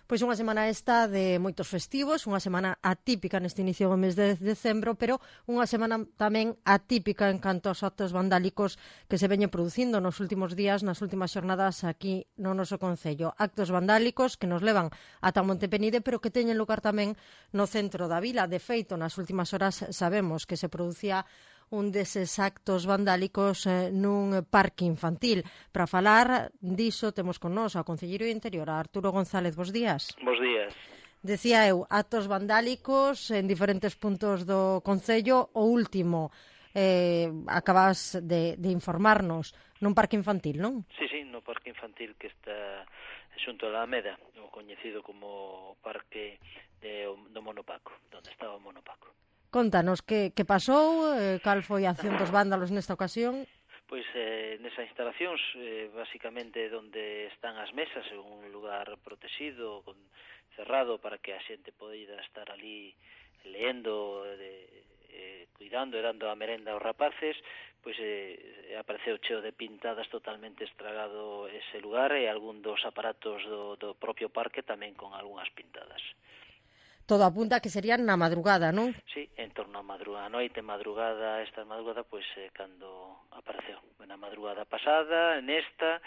Pois unha semana esta de moitos festivos, unha semana atípica neste inicio do mes de decembro, pero unha semana tamén atípica en canto aos actos vandálicos que se veñen producindo nos últimos días, nas últimas xornadas aquí no noso concello. Actos vandálicos que nos levan ata Montepenide, pero que teñen lugar tamén no centro da vila. De feito, nas últimas horas sabemos que se producía un deses actos vandálicos nun parque infantil. Para falar diso temos con nós ao concelleiro de Interior, a Arturo González. Bos días. Bos días. Decía eu, actos vandálicos en diferentes puntos do concello. O último, acabas de informarnos, nun parque infantil, non? Sí, no parque infantil que está xunto a Alameda, o coñecido como parque do Monopaco, onde estaba o Monopaco. Contanos, que pasou, cal foi a acción dos vándalos nesta ocasión? Pois nesas instalacións, basicamente onde están as mesas, é un lugar protegido, cerrado, para que a xente poida estar ali leendo, cuidando e dando a merenda aos rapaces, pois apareceu cheo de pintadas, totalmente estragado ese lugar, e algún dos aparatos do propio parque tamén con algunhas pintadas. Todo apunta que serían na madrugada, non? Sí, en torno a madrugada, noite, esta madrugada, pois cando apareceu. Na madrugada pasada, nesta,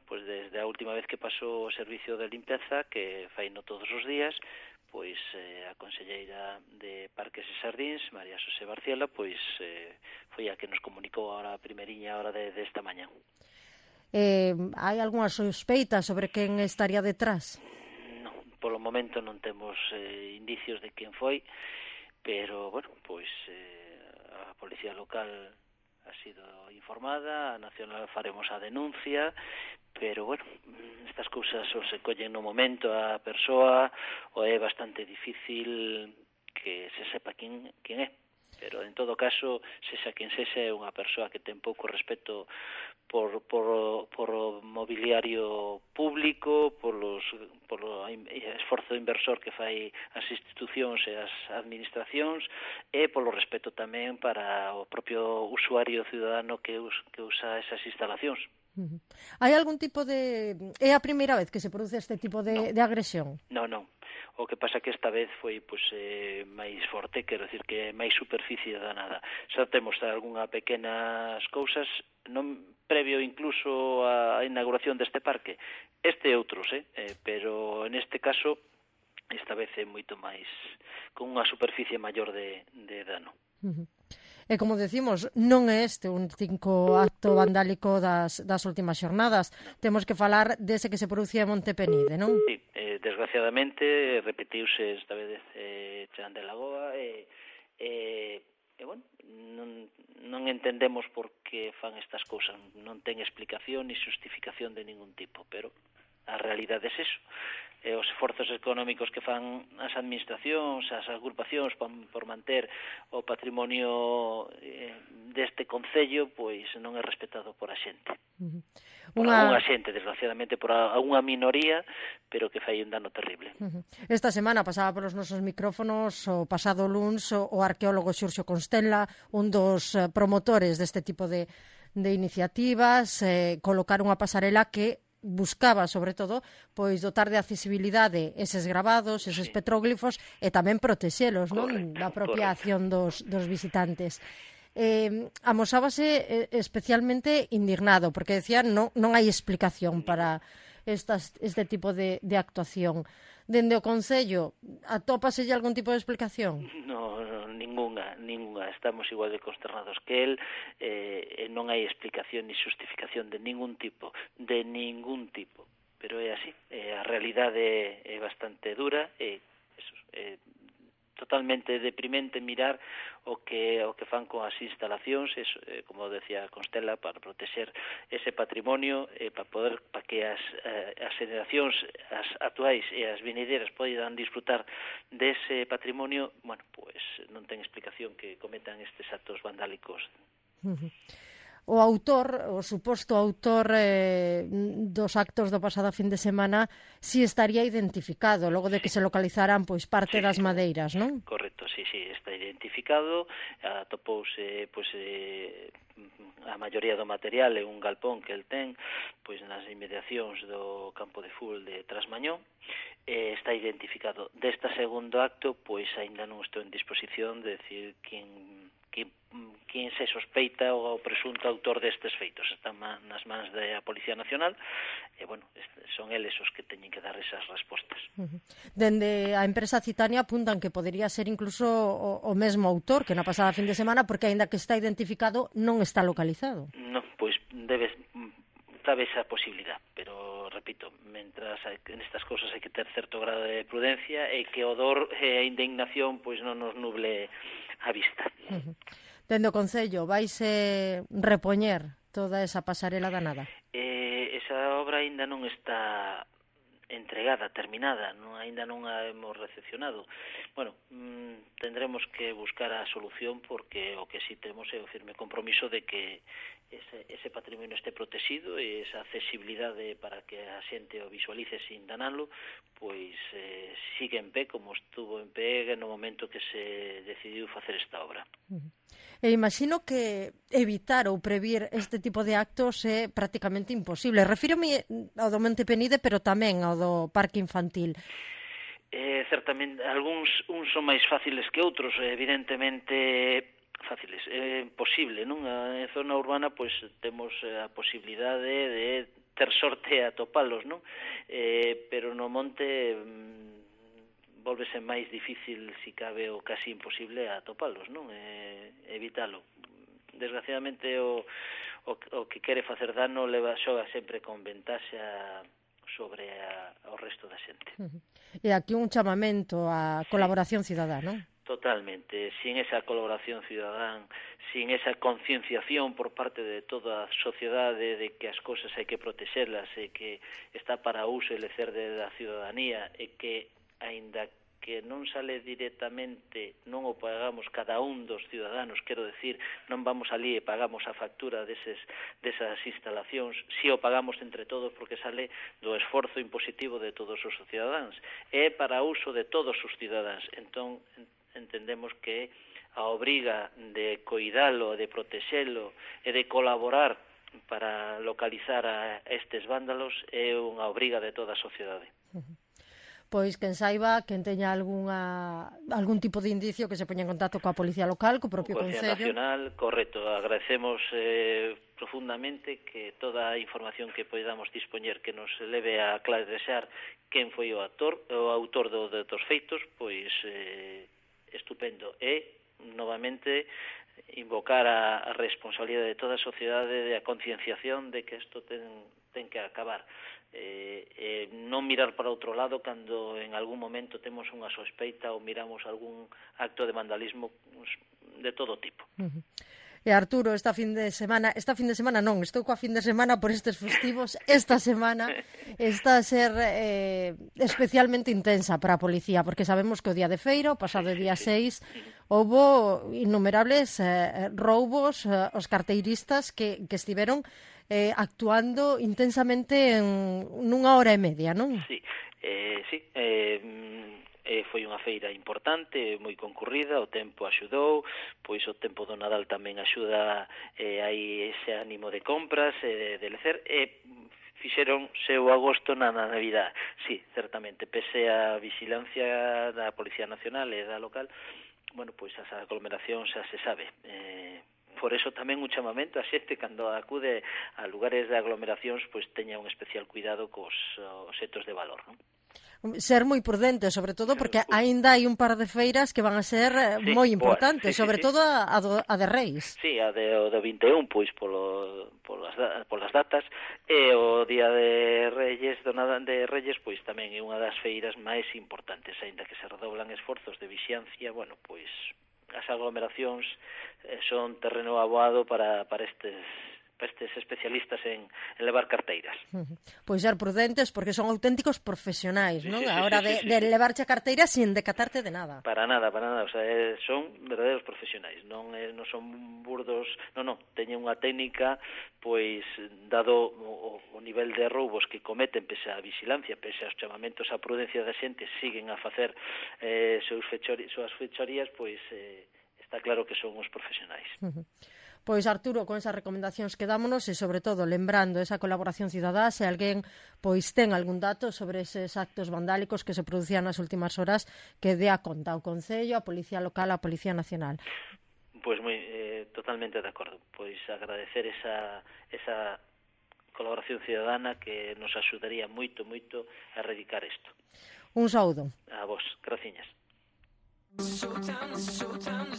pois desde a última vez que pasou o servicio de limpeza, que faino todos os días, pois a conselleira de Parques e Xardíns, María Xosé Barciela, pois foi a que nos comunicou a primeriña hora desta mañá. Hai algunha sospeita sobre quen estaría detrás? Polo momento non temos indicios de quen foi, pero, pois a Policía Local ha sido informada, a Nacional faremos a denuncia, pero, estas cousas ou se collen no momento a persoa, ou é bastante difícil que se sepa quen é. Pero, en todo caso, sexa quen sexa, é unha persoa que ten pouco respeto por o mobiliario público, por o esforzo inversor que fai as institucións e as administracións, e polo respeto tamén para o propio usuario ciudadano que usa esas instalacións. Hai algún tipo de... É a primeira vez que se produce este tipo de agresión? Non. O que pasa que esta vez foi máis forte, quero dicir que é máis superficie danada. Xa temos algunha pequenas cousas, non previo incluso á inauguración deste parque. Este e outros, pero neste caso, esta vez é moito máis, con unha superficie maior de dano. E como decimos, non é este un único acto vandálico das últimas xornadas. Temos que falar dese que se producía en Montepenide, non? Sí, desgraciadamente repetiuse esta vez Chan de Lagoa non entendemos por que fan estas cousas, non ten explicación ni justificación de ningún tipo, pero a realidade é eso. Os esforzos económicos que fan as administracións, as agrupacións por manter o patrimonio deste concello, pois non é respetado por a xente. Por algunha xente, desgraciadamente, por algunha minoría, pero que fai un dano terrible. Esta semana pasaba polos nosos micrófonos o pasado luns o arqueólogo Xurxo Constella, un dos promotores deste tipo de iniciativas, colocar unha pasarela que buscaba, sobre todo, pois dotar de accesibilidade eses gravados, eses petróglifos, e tamén protexelos, non, da propia acción dos visitantes. Amosábase especialmente indignado, porque decía non hai explicación para este tipo de actuación. Dende o Concello, atópaselle algún tipo de explicación? Ninguna. Estamos igual de consternados que él, non hai explicación ni justificación de ningún tipo, pero é así. A realidade é bastante dura, é totalmente deprimente mirar o que fan con as instalacións, como decía Constella, para protexer ese patrimonio, para que as xeracións as actuais e as vinideiras poidan disfrutar dese patrimonio. Pois non ten explicación que cometan estes actos vandálicos. O autor, o suposto autor dos actos do pasado fin de semana, si estaría identificado, logo de que se localizaran pois parte das madeiras, non? Correcto, sí, está identificado, atopouse a maioría do material é un galpón que el ten pois nas inmediacións do campo de fútbol de Trasmañón, está identificado. Desta segundo acto, pois aínda non estou en disposición de decir quen se sospeita o presunto autor destes feitos. Están nas mans da Policía Nacional e, bueno, son eles os que teñen que dar esas respostas. Dende a empresa Citania apuntan que podería ser incluso o mesmo autor que na pasada fin de semana, porque aínda que está identificado non está localizado. Non, pois cabe esa posibilidad, pero repito, mentras en estas cousas hai que ter certo grado de prudencia e que o dor e a indignación pois non nos nuble a vista. Dende o Concello, vaise repoñer toda esa pasarela danada? Esa obra aínda non está entregada, terminada, aínda non a hemos recepcionado. Bueno, tendremos que buscar a solución, porque o que sí temos é o firme compromiso de que ese patrimonio este protegido e esa accesibilidade para que a xente o visualice sin danalo, pois sigue en pé como estuvo en pé no momento que se decidiu facer esta obra. E imagino que evitar ou previr este tipo de actos é prácticamente imposible. Refírome ao do Monte Penide, pero tamén ao do Parque Infantil. Certamente, uns son máis fáciles que outros, evidentemente fáciles. É posible, non? En zona urbana, pois, temos a posibilidade de ter sorte a topalos, non? Pero no monte volvese máis difícil, si cabe, ou casi imposible atopalos, non? Evitalo. Desgraciadamente, o que quere facer dano xoga sempre con ventaxa sobre o resto da xente. E aquí un chamamento á colaboración cidadá, non? Totalmente. Sin esa colaboración cidadán, sin esa concienciación por parte de toda a sociedade de que as cousas hai que protexelas e que está para uso e lecer da ciudadanía e que, aínda que non sale directamente, non o pagamos cada un dos ciudadanos, quero decir, non vamos ali e pagamos a factura desas instalacións, si o pagamos entre todos porque sale do esforzo impositivo de todos os cidadáns, é para uso de todos os cidadáns. Entón, entendemos que a obriga de coidalo, de protexelo e de colaborar para localizar a estes vándalos é unha obriga de toda a sociedade. Pois quen saiba, quen teña algún tipo de indicio que se poña en contacto coa Policía Local, co propio Concello. Policía Nacional, correcto. Agradecemos profundamente que toda a información que podamos dispoñer que nos leve a clarear quen foi o autor dos feitos, pois estupendo. E, novamente, invocar a responsabilidade de toda a sociedade, de a concienciación de que isto ten que acabar. Non mirar para outro lado cando en algún momento temos unha sospeita ou miramos algún acto de vandalismo de todo tipo. E Arturo, esta fin de semana non, estou coa fin de semana por estes festivos, esta semana está a ser especialmente intensa para a policía, porque sabemos que o día de feira, o pasado día 6, houbo innumerables roubos aos carteiristas que estiveron actuando intensamente nunha hora e media, non? Sí, foi unha feira importante, moi concurrida, o tempo axudou, pois o tempo do Nadal tamén axuda, hai ese ánimo de compras, de lecer, e fixeron seu agosto na Navidad. Sí, certamente, pese a vigilancia da Policía Nacional e da local, bueno, pois as aglomeracións xa se sabe. Por eso tamén un chamamento a xente cando acude a lugares de aglomeracións, pois teña un especial cuidado cos obxectos de valor, non? Ser moi prudente, sobre todo porque aínda hai un par de feiras que van a ser moi importantes, sobre todo a de Reis. Sí, a do 21, pois polas datas, e o día de Reyes, de Reyes, pois tamén é unha das feiras máis importantes, aínda que se redoblan esforzos de vixiancia, bueno, pois as aglomeracións son terreno aboado para estes especialistas en levar carteiras. Pois ser prudentes porque son auténticos profesionais, non? A hora de levarche a carteira sin decatarte de nada. Para nada, o sea, son verdadeiros profesionais, non son burdos, non, teñen unha técnica, pois, dado o nivel de roubos que cometen, pese a vigilancia, pese aos chamamentos á prudencia da xente, siguen a facer súas fechorías, pois, está claro que son os profesionais. Pois, Arturo, con esas recomendacións quedámonos e, sobre todo, lembrando esa colaboración cidadá, se alguén pois ten algún dato sobre eses actos vandálicos que se producían nas últimas horas, que dé a conta ao Concello, a Policía Local, a Policía Nacional. Pois totalmente de acordo. Pois agradecer esa colaboración cidadana que nos axudaría moito a erradicar isto. Un saúdo. A vos, graciñas.